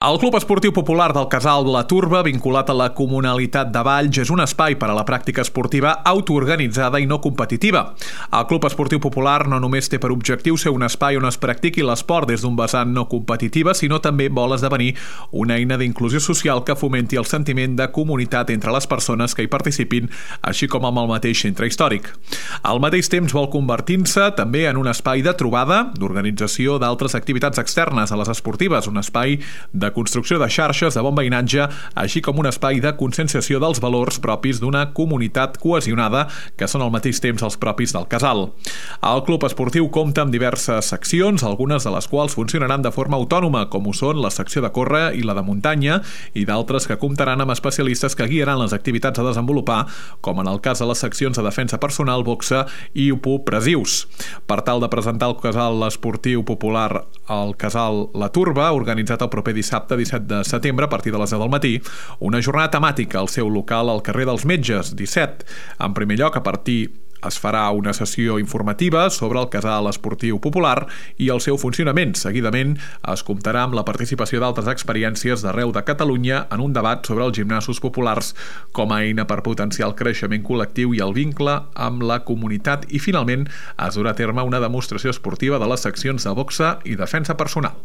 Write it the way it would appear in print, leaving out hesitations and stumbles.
El Club Esportiu Popular del Casal La Turba, vinculat a la Comunalitat de Valls, és un espai per a la pràctica esportiva autoorganitzada i no competitiva. El Club Esportiu Popular no només té per objectiu ser un espai on es practiqui l'esport des d'un vessant no competitiva, sinó també vol esdevenir una eina d'inclusió social que fomenti el sentiment de comunitat entre les persones que hi participin, així com amb el mateix centre històric. Al mateix temps vol convertir-se també en un espai de trobada, d'organització d'altres activitats externes a les esportives, un espai de construcció de xarxes de bon veïnatge, així com un espai de conscienciació dels valors propis d'una comunitat cohesionada que són al mateix temps els propis del casal. El club esportiu compta amb diverses seccions, algunes de les quals funcionaran de forma autònoma, com ho són la secció de córrer i la de muntanya, i d'altres que comptaran amb especialistes que guiaran les activitats a desenvolupar, com en el cas de les seccions de defensa personal, boxa i presius. Per tal de presentar el casal esportiu popular al Casal La Turba, organitzat el proper dissabte 17 de setembre a partir de les 10 del matí, una jornada temàtica al seu local al carrer dels Metges, 17. En primer lloc, es farà una sessió informativa sobre el Casal Esportiu Popular i el seu funcionament. Seguidament es comptarà amb la participació d'altres experiències d'arreu de Catalunya en un debat sobre els gimnasos populars com a eina per potenciar el creixement col·lectiu i el vincle amb la comunitat, i finalment es durà a terme una demostració esportiva de les seccions de boxa i defensa personal.